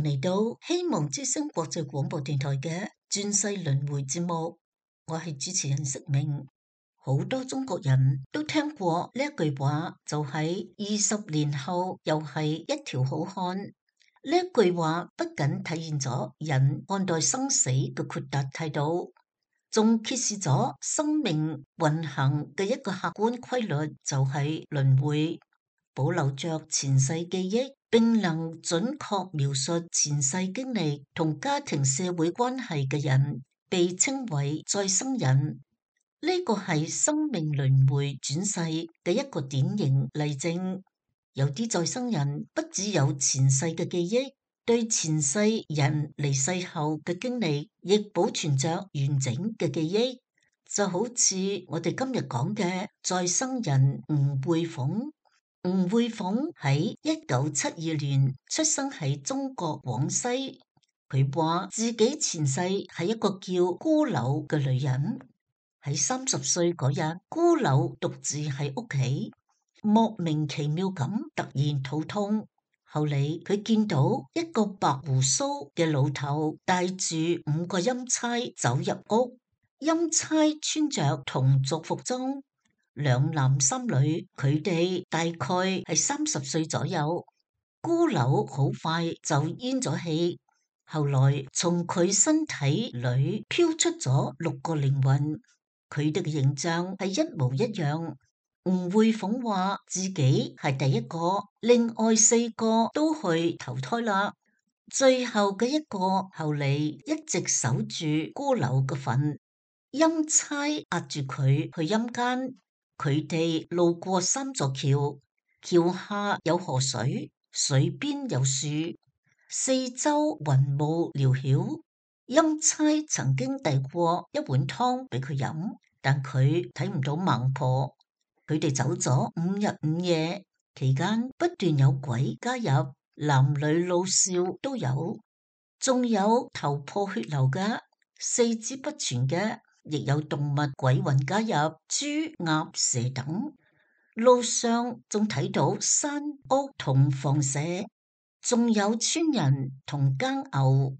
迎嚟到希望之聲國際廣播電台嘅轉世輪迴節目，我係主持人釋明。好多中國人都聽過呢一句話，就係20年後又係一條好漢。呢一句話不僅體現咗人看待生死嘅豁達態度，仲揭示咗生命運行嘅一個客觀規律，就係輪迴。保留着前世記憶，並能準確描述前世經歷同家庭社會關係嘅人，被稱為再生人。呢個係生命輪迴轉世嘅一個典型例證。有啲再生人不只有前世嘅記憶，對前世人離世後嘅經歷亦保存着完整嘅記憶，就好似我哋今日講嘅再生人吳慧鳳。吳慧鳳喺1972年出生喺中國廣西，佢話自己前世係一個叫孤柳嘅女人。喺30歲嗰日，孤柳獨自喺屋企，莫名其妙咁突然肚痛。後嚟佢見到一個白鬍鬚嘅老頭帶住5個陰差走入屋，陰差穿着同族服裝。2男3女，佢哋大概係30歲左右。孤柳好快就咽咗氣，後來從佢身體裏飄出咗6個靈魂，佢哋嘅形象係一模一樣。吳慧鳳話自己係第一個，另外4個都去投胎啦。最後嘅一個後嚟一直守住孤柳嘅墳，陰差押住佢去陰間。佢哋路過3座橋，橋下有河水，水邊有樹，四周雲霧繚繞。陰差曾經遞過一碗湯俾佢飲，但佢睇唔到孟婆。佢哋走咗5日5夜，期間不斷有鬼加入，男女老少都有，仲有頭破血流嘅，四肢不全嘅。亦有動物鬼魂加入，豬、鴨、蛇等。路上仲睇到山屋同房舍，仲有村人同耕牛。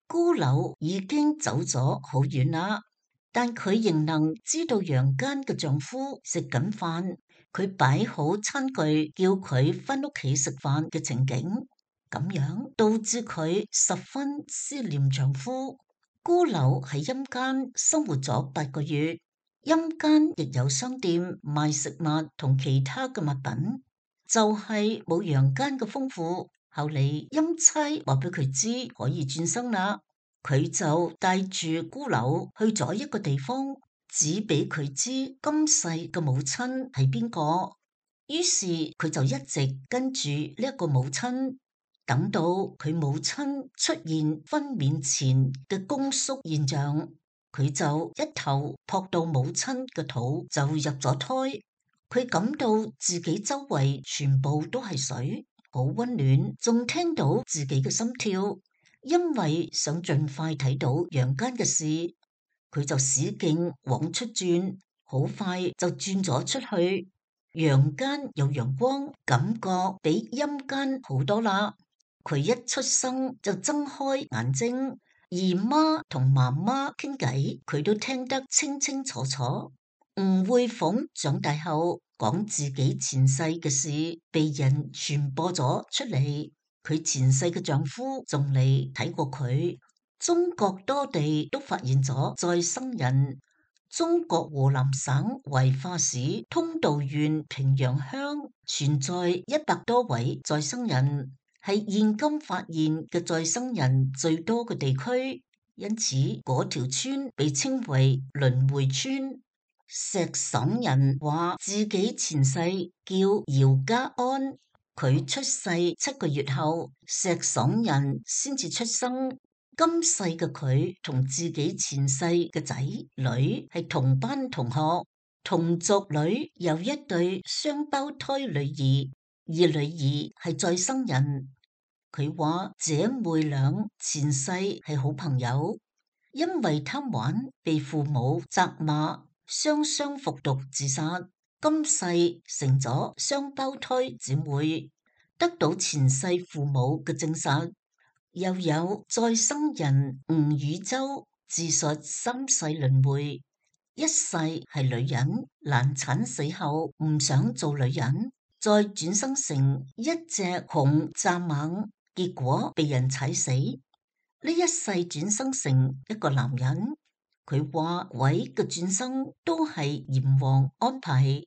孤柳已經走咗好遠啦，但佢仍能知道陽間嘅丈夫食緊飯，佢擺好餐具叫佢返屋企食飯嘅情景，咁樣導致佢十分思念丈夫。孤柳喺陰間生活咗8個月，陰間亦有商店賣食物同其他嘅物品，就係冇陽間嘅豐富。後嚟陰差話俾佢知可以轉生啦，佢就帶住孤柳去咗一個地方，指俾佢知今世嘅母親係邊個。於是佢就一直跟住呢一個母親。等到佢母親出現分娩前嘅宮縮現象，佢就一頭撲到母親嘅肚就入咗胎。佢感到自己周圍全部都係水，好溫暖，仲聽到自己嘅心跳。因為想盡快睇到陽間嘅事，佢就使勁往出轉，好快就轉咗出去。陽間有陽光，感覺比陰間好多啦。佢一出生就睜開眼睛，姨媽同媽媽傾偈，佢都聽得清清楚楚。吳慧鳳長大後講自己前世嘅事，被人傳播咗出嚟。佢前世嘅丈夫仲嚟睇過佢。中國多地都發現咗再生人。中國湖南省懷化市通道縣平陽鄉存在100多位再生人。係現今發現嘅再生人最多嘅地區，因此嗰條村被稱為輪迴村。石省人話自己前世叫姚家安，佢出世7個月後，石省人先至出生。今世嘅佢同自己前世嘅仔女係同班同學，同族裏有一對雙胞胎女兒，而女兒係再生人。佢話姐妹倆前世係好朋友，因為貪玩被父母責罵，雙雙服毒自殺。今世成咗雙胞胎姊妹，得到前世父母嘅證實。又有再生人吳宇洲自述三世輪迴，一世係女人，難產死後唔想做女人，再轉生成一隻熊蚱蜢，結果被人踩死。呢一世轉生成一個男人，佢話鬼嘅轉生都係閻王安排，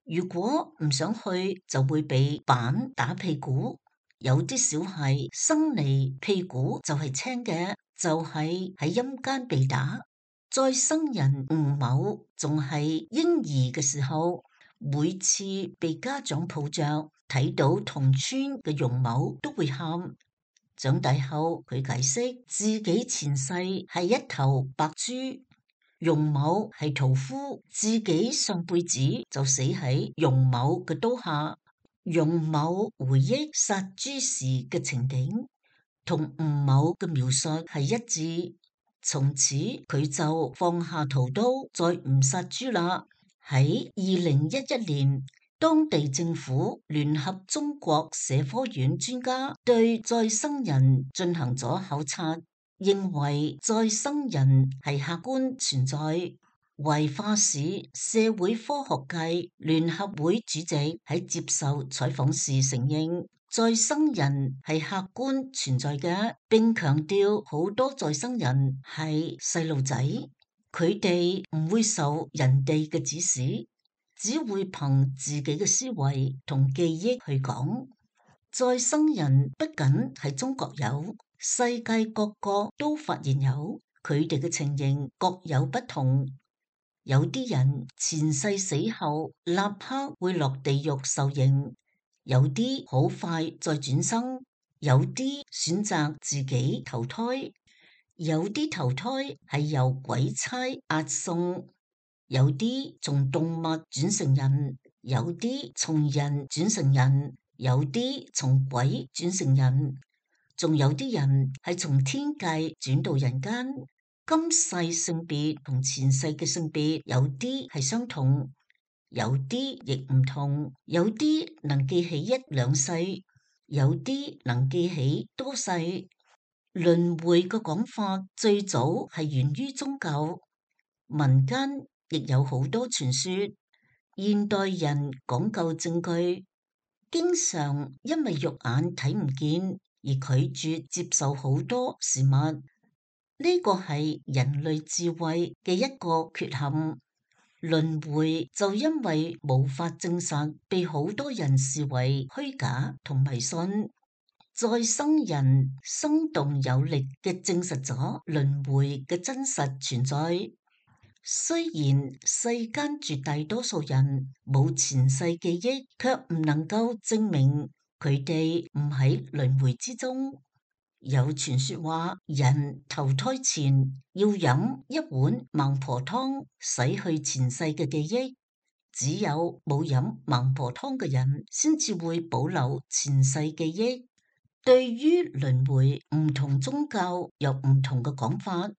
如果唔想去就會被板打屁股。有啲小孩生嚟屁股就係青嘅，就係喺陰間被打。再生人吳某仲係嬰兒嘅時候，每次被家長抱着睇到同村嘅容某都會喊。長大後佢解釋自己前世係一頭白豬，容某係屠夫，自己上輩子就死喺容某嘅刀下。容某回憶殺豬時嘅情景，同吳某嘅描述係一致。從此佢就放下屠刀，再唔殺豬啦。喺2011年，當地政府聯合中國社科院專家對再生人進行咗考察，認為再生人係客觀存在。懷化市社會科學界聯合會主席喺接受採訪時承認，再生人係客觀存在嘅，並強調好多再生人係細路仔，佢哋唔會受人哋嘅指使，只會憑自己嘅思維同記憶去講。再生人不僅係中國有，世界各國都發現有，佢哋嘅情形各有不同。有啲人前世死後立刻會落地獄受刑，有啲好快再轉生，有啲選擇自己投胎，有啲投胎係由鬼差押送，有啲從動物轉成人，有啲從人轉成人，有啲從鬼轉成人，仲有啲人係從天界轉到人間。今世性別同前世嘅性別有啲係相同，有啲亦唔同，有啲能記起一兩世，有啲能記起多世。輪迴嘅講法最早係源於宗教，民間亦有好多傳說。現代人講究證據，經常因為肉眼睇唔見而拒絕接受好多事物。呢個係人類智慧嘅一個缺陷，輪迴就因為無法證實，被好多人視為虛假同迷信。再生人生動有力嘅證實咗輪迴嘅真實存在。雖然世間絕大多數人冇前世記憶，卻唔能夠證明佢哋唔喺輪迴之中。有傳說話，人投胎前要飲一碗孟婆湯，洗去前世嘅記憶。只有冇飲孟婆湯嘅人，先至會保留前世記憶。對於輪迴，唔同宗教有唔同嘅講法。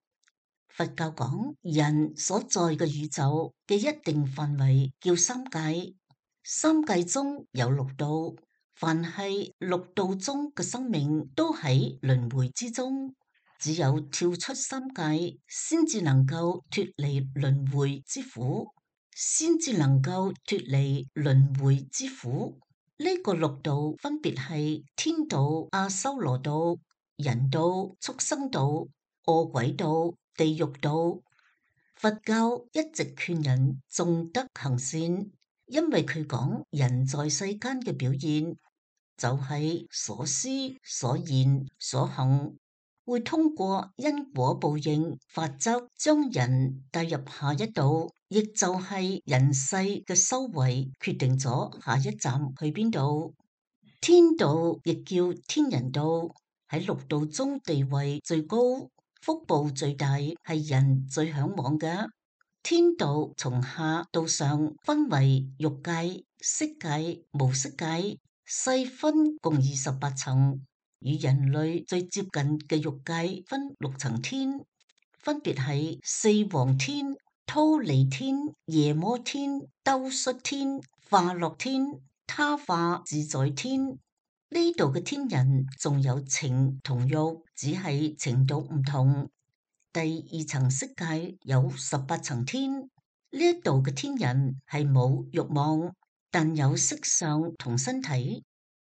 佛教講，人所在嘅宇宙嘅一定範圍叫三界，三界中有六道。凡係六道中嘅生命都喺輪迴之中，只有跳出三界，先至能夠脫離輪迴之苦，先至能夠脫離輪迴之苦。呢個六道分別係天道、阿修羅道、人道、畜生道、餓鬼道、地獄道。佛教一直勸人重德行善，因為佢講人在世間嘅表現就係所思所言所行，會通過因果報應法則將人帶入下一道，亦就係人世嘅修為決定咗下一站去邊度。天道亦叫天人道，喺六道中地位最高，福報最大，係人最向往嘅。天道從下到上分為欲界、色界、無色界，細分共28層。與人類最接近嘅欲界分6層天，分別係四王天、忉利天、夜摩天、兜率天、化樂天、他化自在天。呢呢度嘅天人仲有情同欲，只係程度唔同。第二層色界有18層天，呢一度嘅天人係冇欲望，但有色相同身體。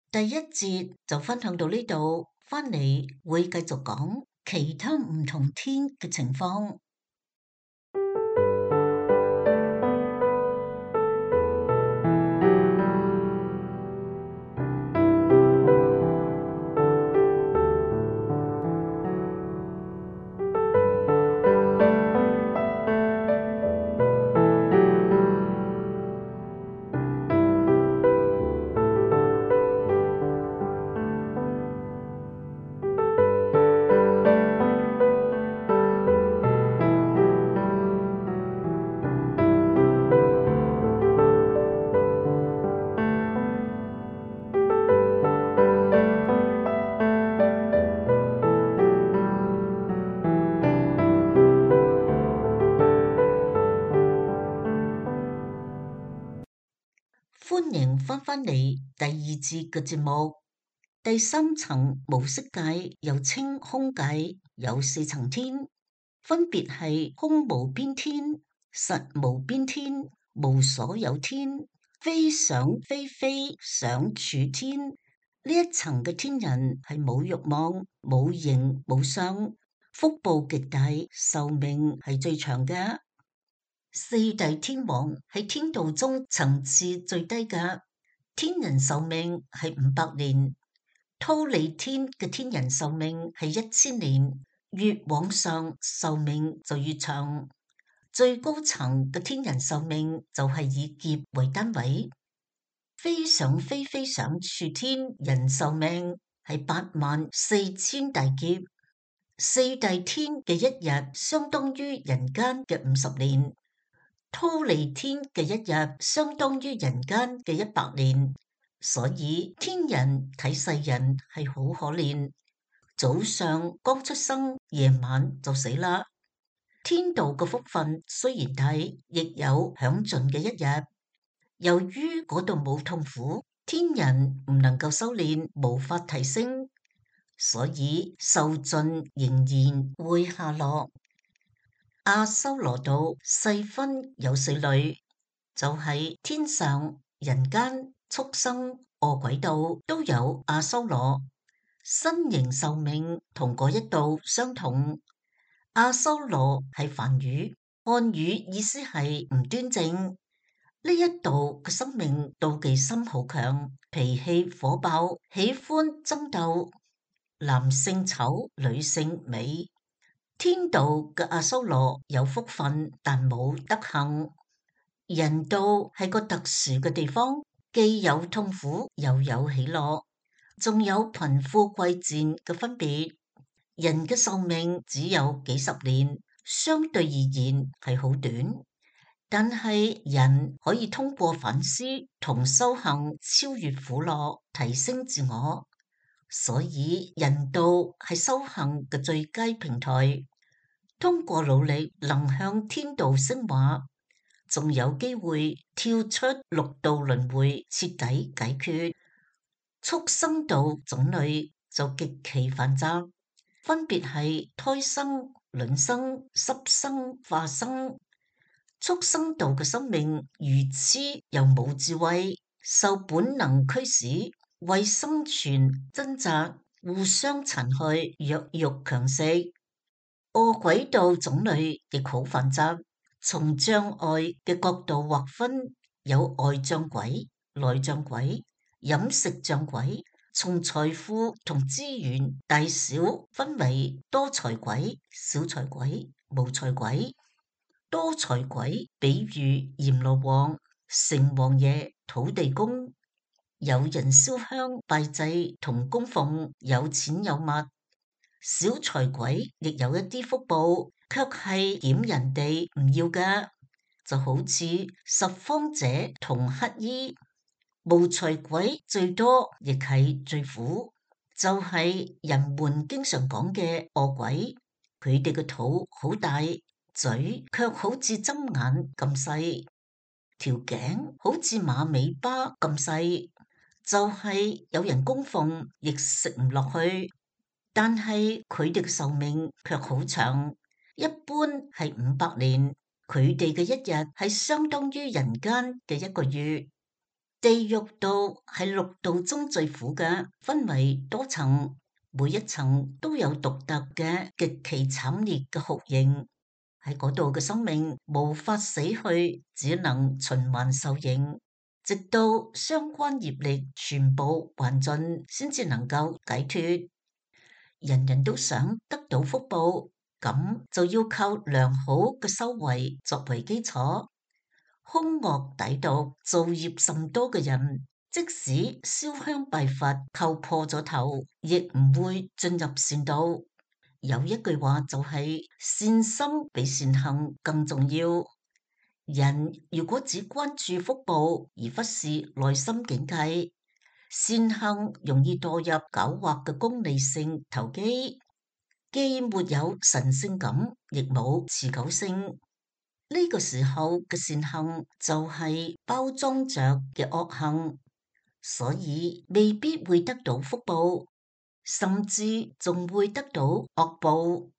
第一節就分享到呢度，翻嚟會繼續講其他唔同天嘅情況。歡迎翻返嚟第二節嘅節目。第三層無色界又稱空界，有4層天，分別係空無邊天、實無邊天、無所有天、非想非非想處天。呢一層嘅天人係冇欲望、冇形冇相，福報極大，壽命係最長嘅。四大天王喺天道中層次最低嘅，天人壽命係500年，忉利天嘅天人壽命係1000年，越往上壽命就越長。最高層嘅天人壽命就係以劫為單位，非想非非想處天人壽命係84000大劫，四大天嘅一日相當於人間嘅50年。忉利天嘅一日相當於人間嘅100年，所以天人睇世人係好可憐。早上剛出生，夜晚就死啦。天道嘅福分雖然大，亦有享盡嘅一日。由於嗰度冇痛苦，天人唔能夠修煉，無法提升，所以壽盡仍然會下落。阿修羅道細分有4類，就係天上、人間、畜生、餓鬼道都有阿修羅，身形壽命同嗰一道相同。阿修羅係梵語，漢語意思係唔端正。呢一度嘅生命妒忌心好強，脾氣火爆，喜歡爭鬥，男性醜，女性美。天道嘅阿修羅有福分，但冇德行。人道係個特殊嘅地方，既有痛苦，又有喜樂，仲有貧富貴賤嘅分別。人嘅壽命只有幾十年，相對而言係好短，但係人可以通過反思同修行超越苦樂，提升自我，所以人道係修行嘅最佳平台。通過努力能向天道升華，仲有機會跳出六道輪迴，徹底解決。畜生道種類就極其繁雜，分別係胎生、卵生、濕生、化生。畜生道嘅生命愚癡又冇智慧，受本能驅使，為生存掙扎，互相殘害，弱肉強食。餓鬼道種類亦好繁雜，從障礙嘅角度劃分，有外障鬼、內障鬼、飲食障鬼；從財富同資源大小分為多財鬼、少財鬼、無財鬼。多財鬼比喻閻羅王、城隍爺、土地公，有人燒香拜祭同供奉，有錢有物。小財鬼亦有一啲福報，卻係撿人哋唔要嘅，就好似拾荒者同乞衣。無財鬼最多亦係最苦，就係人們經常講嘅餓鬼。佢哋嘅肚好大，嘴卻好似針眼咁細，條頸好似馬尾巴咁細，就係有人供奉亦食唔落去，但係佢哋嘅壽命卻好長，一般係500年。佢哋嘅一日係相當於人間嘅一個月。地獄道係6道中最苦嘅，分為多層，每一層都有獨特嘅極其慘烈嘅酷刑。喺嗰度嘅生命無法死去，只能循環受刑，直到相關業力全部還盡，先至能夠解脫。人人都想得到福報，咁就要靠良好嘅修為作為基礎。兇惡歹毒、造業甚多嘅人，即使燒香拜佛叩破咗頭，亦唔會進入善道。有一句話就係善心比善行更重要。人如果只關注福報而忽視內心境界，善行容易墮入狡猾嘅功利性投機，既沒有神聖感，亦冇持久性。呢個時候嘅善行就係包裝着嘅惡行，所以未必會得到福報，甚至仲會得到惡報。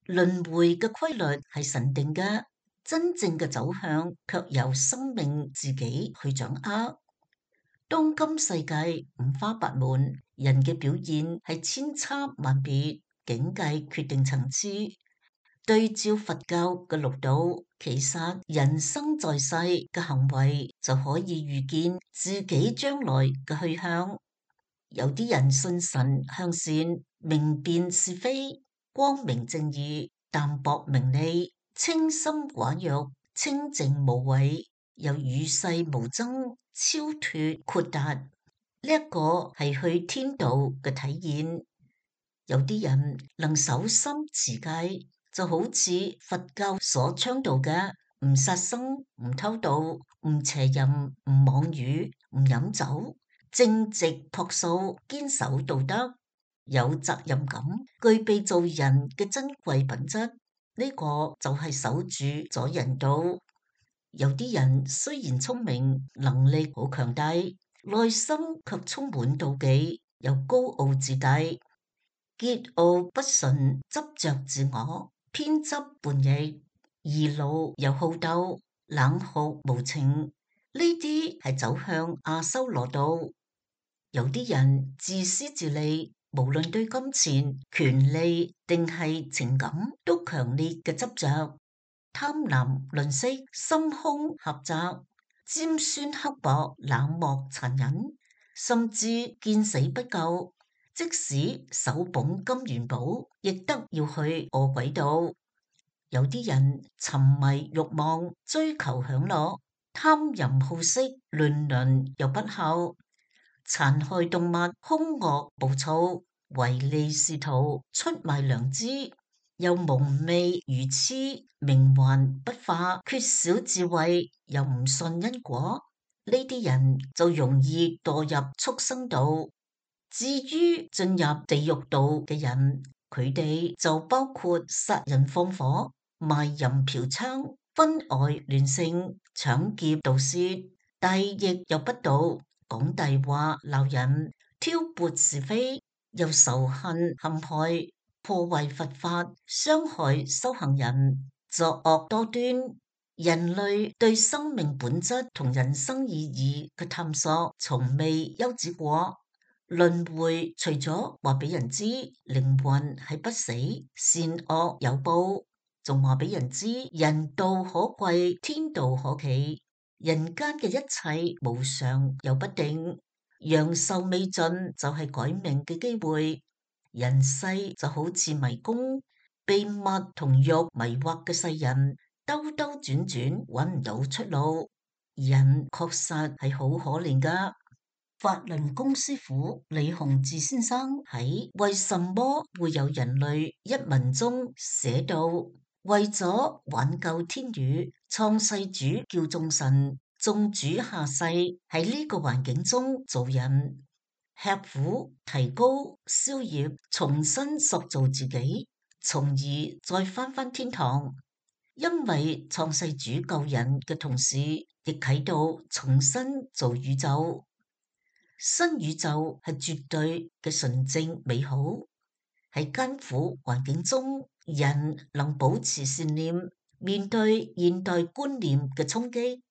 輪迴嘅規律係神定嘅，真正嘅走向卻由生命自己去掌握。當今世界五花八門，人嘅表現係千差萬別，境界決定層次。對照佛教嘅六道，其實人生在世嘅行為就可以預見自己將來嘅去向。有啲人信神向善，明辨是非，光明正義，淡泊名利，清心寡欲，清淨無為，又與世無爭，超脫豁達。呢一個係去天道嘅體現。有啲人能守心持戒，就好似佛教所倡導嘅，唔殺生、唔偷盜、唔邪淫、唔妄語、唔飲酒，正直樸素，堅守道德，有責任感，具備做人嘅珍貴品質。呢個就係守住咗人道。有啲人雖然聰明，能力好強大，內心卻充滿妒忌，又高傲自大。桀驁不馴，執着自我，偏執叛逆，易怒又好鬥，冷酷無情，呢啲係走向阿修羅道。有啲人自私自利，無論對金錢、權利定係情感，都強烈嘅執着，貪婪吝嗇，心胸狹窄，尖酸刻薄，冷漠殘忍，甚至見死不救。即使手捧金元寶，亦得要去餓鬼道。有啲人沉迷慾望，追求享樂，貪淫好色，亂倫又不孝，殘害動物，兇惡暴躁，唯利是圖，出賣良知，又蒙昧愚痴，冥頑不化，缺少智慧，又唔信因果。呢啲人就容易墮入畜生道。至於進入地獄道嘅人，佢哋就包括殺人放火、賣淫嫖娼、婚外亂性、搶劫盜竊、大逆又不道、講大話鬧人、挑撥是非，又仇恨陷害、破壞佛法、傷害修行人、作惡多端。人類對生命本質同人生意義嘅探索，從未休止過。輪迴除咗話俾人知靈魂係不死，善惡有報，仲話俾人知人道可貴，天道可期。人間嘅一切無常又不定，陽壽未盡就係改命嘅機會。人世就好似迷宮，被物同欲迷惑嘅世人，兜兜轉轉揾唔到出路。人確實係好可憐噶。法輪功師傅李洪志先生喺為什麼會有人類一文中寫到，為咗挽救天宇，創世主叫眾神，眾主下世喺呢個環境中做人，吃苦提高消業，重新塑造自己，從而再返天堂。因為創世主救人嘅同時，亦啟導重新做宇宙。新宇宙係絕對嘅純正美好，喺艱苦環境中，人能保持善念，面對現代觀念嘅衝擊，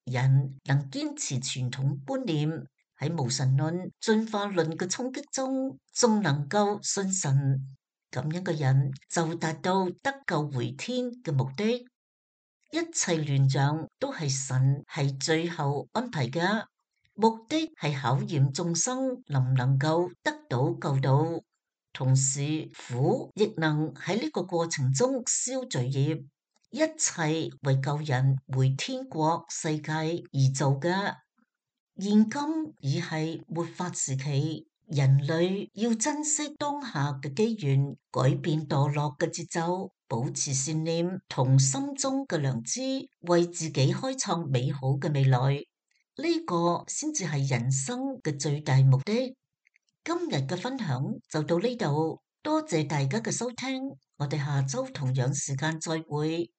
人能堅持傳統觀念，喺無神論、進化論嘅衝擊中，仲能夠信神，咁樣嘅人就達到得救回天嘅目的。一切亂象都係神係最後安排嘅，目的係考驗眾生能唔能夠得到救導，同時苦亦能喺呢個過程中消罪業，一切為救人回天國世界而做嘅。現今已係末法時期，人類要珍惜當下嘅機緣，改變墮落嘅節奏，保持善念同心中嘅良知，為自己開創美好嘅未來。呢個先至係人生嘅最大目的。今日嘅分享就到呢度，多謝大家嘅收聽，我哋下周同樣時間再會。